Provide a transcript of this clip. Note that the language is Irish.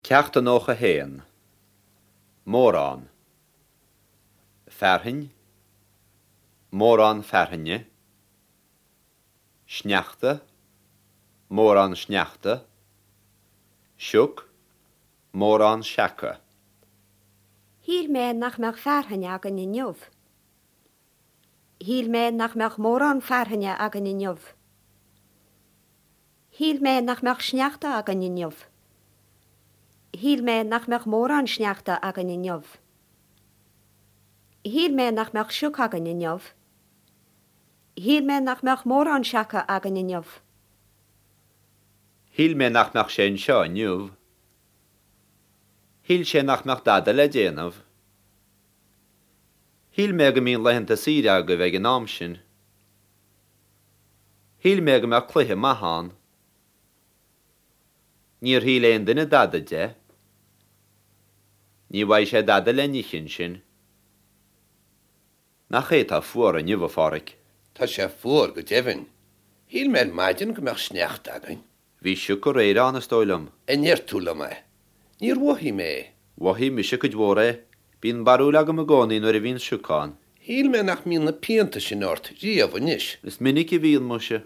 Ceacht 91. Mórán. Fearthainn. Mórán fearthainne. Sneachta. Mórán sneachta. Sioc. Mórán seaca. Shíl mé nach mbeadh fearthainn againn inniu. Shíl mé nach mbeadh mórán fearthainne againn inniu. Shíl mé nach mbeadh sneachta againn inniu. Shíl mé nach mbeadh mórán sneachta againn inniu. Shíl mé nach mbeadh sioc againn inniu. Shíl mé nach mbeadh mórán seaca againn inniu. Shíl mé nach mbeadh sé anseo inniu. Shíl sé nach mbeadh dada le déanamh. Shíl mé go mbíonn laethanta saoire agaibh ag an am sin. Shíl mé go mbeadh cluiche maith ann. Níor shíl aon duine dada de. Ní bhfaighidh sé dada le n-ithe ansin. Nach é atá fuar inniu, a Pháraic? Tá sé fuar go deimhin. Shíl mé ar maidin go mbeadh sneachta againn. Bhí sioc aréir ann, is dóigh liom. An ndeir tú liom é? Níor mhothaigh mé é. Mhothaigh mise cuid mhór é. Bíonn barúil agam i gcónaí nuair a bhíonn sioc ann. Shíl mé nach mbíonn na pianta sin ort riamh anois. Is minic a bhíonn, muise.